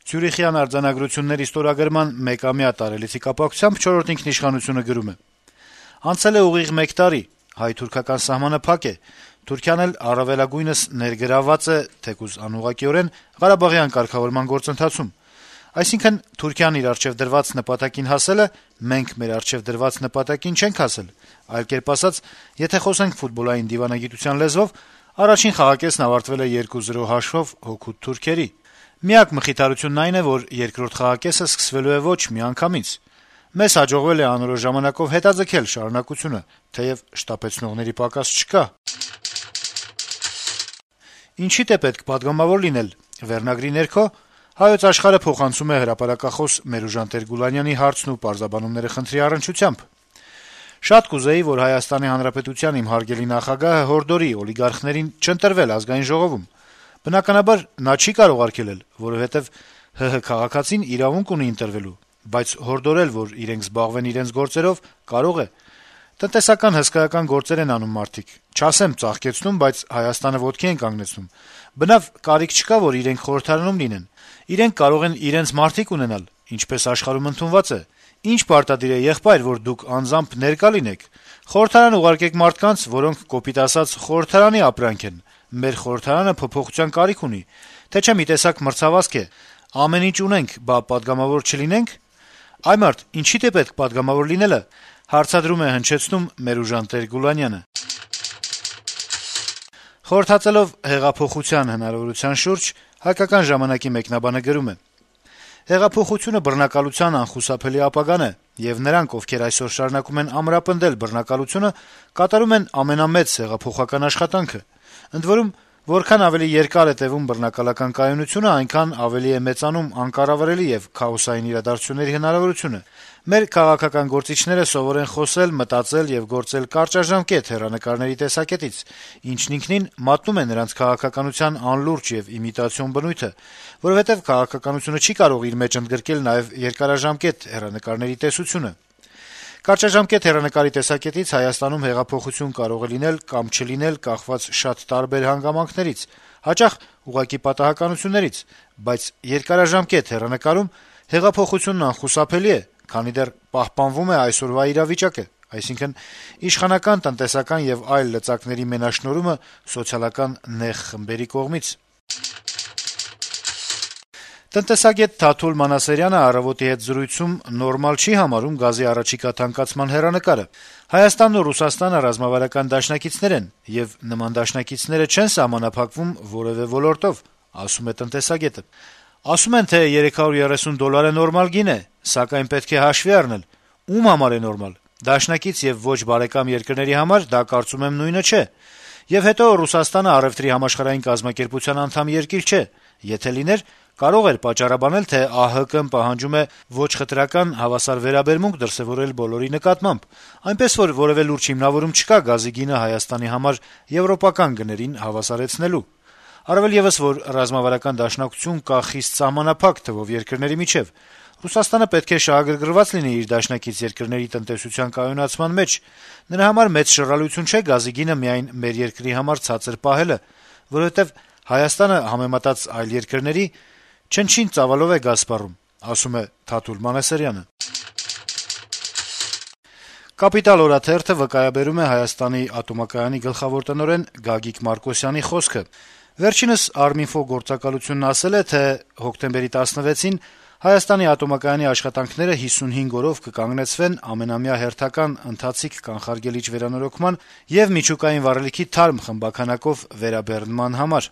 Ցյուրիխյան արձանագրությունների ստորագրման մեկամյա տարելիցի կապակցությամբ «Չորրորդ ինքնիշխանություն»-ը գրում է. - «Անցել է ուղիղ 1 տարի, հայ-թուրքական սահմանը փակ է, Թուրքիան էլ առավելագույնս ներգրավված է, թեկուզ անուղղակիորեն, Ղարաբաղյան կարգավորման գործընթացում: Այսինքն Թուրքիան իր առջեւ դրված նպատակին հասել է, մենք մեր առջեւ դրված նպատակին չենք հասել: Այլ կերպ ասած, եթե խոսենք ֆուտբոլային դիվանագիտության լեզվով, առաջին խաղակեսն ավարտվել է 2-0 հաշվով հօգուտ թուրքերի: Միակ մխիթարությունն այն է, որ երկրորդ խաղակեսը սկսվելու է ոչ միանգամից: Մեզ հաջողվել է անորոշ ժամանակով հետաձգել շարունակությունը, թեեւ շտապեցնողների պակաս չկա»: «Ինչի՞դ է պետք պատգամավոր լինել» վերնագրի ներքո «Հայոց Աշխարհ»-ը փոխանցում է հրապարակախոս Մերուժան Տեր-Գուլանյանի հարցն ու պարզաբանումները խնդրի առնչությամբ. - «Շատ կուզեի, որ Հայաստանի Հանրապետության իմ հարգելի նախագահը հորդորի օլիգարխներին չընտրվել Ազգային ժողովում: Բնականաբար, նա չի կարող արգելել, որովհետեւ ՀՀ քաղաքացին իրավունք ունի ընտրվելու, բայց հորդորել, որ իրենք զբաղվեն իրենց գործերով, կարող է: Տնտեսական հսկայական գործեր են անում մարդիկ, չասեմ ծաղկեցնում, բայց Հայաստանը ոտքի են կանգնեցնում: Բնավ կարիք չկա, որ իրենք խորհրդարանում լինեն: Իրենք կարող են իրենց մարդիկ ունենալ, ինչպես աշխարհում ընդունված է: Ի՞նչ պարտադիր է, եղբայր, որ դուք անձամբ ներկա լինեք: Խորհրդարան ուղարկեք մարդկանց, որոնք, կոպիտ ասած, խորհրդարանի ապրանք են: Մեր խորհրդարանը փոփոխության կարիք ունի, թե չէ մի տեսակ մրցավազք է: Ամեն ինչ ունենք, բա պատգամավոր չլինենք: Այ մարդ, ինչի՞դ է պետք պատգամավոր լինելը»: Հարցադրում է հնչեցնում Մերուժան Տեր-Գուլանյանը: Խորհրդածելով հեղափոխության հնարավորության շուրջ «Հայկական ժամանակ»-ի մեկնաբանը գրում է. - «Հեղափոխությունը բռնակալության անխուսափելի ապագան է, եւ նրանք, ովքեր այսօր շարունակում են ամրապնդել բռնակալությունը, կատարում են ամենամեծ հեղափոխական աշխատանքը: Ընդ որում, որքան ավելի երկար է տեւում բռնակալական կայունությունը, այնքան ավելի է մեծանում անկառավարելի եւ քաոսային իրադարձությունների հնարավորությունը: Մեր քաղաքական գործիչները սովոր են խոսել, մտածել եւ գործել կարճաժամկետ հեռանկարների տեսակետից, ինչն ինքնին մատնում է նրանց քաղաքականության անլուրջ եւ իմիտացիոն բնույթը, որովհետեւ քաղաքականությունը չի կարող իր մեջ ընդգրկել նաեւ երկարաժամկետ հեռանկարների տեսությունը: Կարճաժամկետ հեռանկարի տեսակետից Հայաստանում հեղափոխություն կարող է լինել կամ չլինել կախված շատ տարբեր հանգամանքներից, հաճախ ուղղակի պատահականություններից, բայց երկարաժամկետ հեռանկարում հեղափոխությունն անխուսափելի է, քանի դեռ պահպանվում է այսօրվա իրավիճակը, այսինքն` իշխանական, տնտեսական եւ այլ լծակների մենաշնորհումը սոցիալական նեղ խմբերի կողմից»: Տնտեսագետ Թաթուլ Մանասերյանը «Առավոտ»-ի հետ զրույցում նորմալ չի համարում գազի առաջիկա թանկացման հեռանկարը: Հայաստանն ու Ռուսաստանը ռազմավարական դաշնակիցներ են, եւ նման դաշնակիցները չեն սահմանափակվում որեւէ ոլորտով, ասում է տնտեսագետը: Ասում են, թե $330 նորմալ գին է, սակայն պետք է հաշվի առնել. ում համար է նորմալ: Դաշնակից եւ ոչ բարեկամ երկրների համար դա, կարծում եմ, նույնը չէ: Եվ հետո Ռուսաստանը առեւտրի համաշխարհային կազմակերպության անդամ երկիր չէ: Եթե լիներ, կարող էր պատճառաբանել, թե ԱՀԿ-ն պահանջում է ոչ խտրական, հավասար վերաբերմունք դրսեւորել բոլորի նկատմամբ, այնպես որ որեւէ լուրջ հիմնավորում չկա գազի գինը Հայաստանի համար եվրոպական գներին հավասարեցնելու: Առավել եւս, որ ռազմավարական դաշնակցություն կա խիստ սահմանափակ թվով երկրների միջեւ: Ռուսաստանը պետք է շահագրգռված լինի իր դաշնակից երկրների տնտեսության կայունացման մեջ: Նրա համար մեծ շռայլություն չէ գազի գինը միայն մեր երկրի համար ցածր պահելը, որովհետեւ Հայաստանը, համեմատած այլ երկրների, չնչին ծավալով է գազ սպառում, ասում է Թաթուլ Մանասերյանը: «Կապիտալ» օրաթերթը վկայաբերում է Հայաստանի ատոմակայանի գլխավոր տնօրեն Գագիկ Մարկոսյանի խոսքը: Վերջինս Arminfo գործակալությունն ասել է, թե հոկտեմբերի 16-ին Հայաստանի ատոմակայանի աշխատանքները 55 օրով կկանգնեցվեն ամենամյա հերթական ընթացիկ կանխարգելիչ վերանորոգման եւ միջուկային վառելիքի թարմ խմբաքանակով վերաբեռնման համար: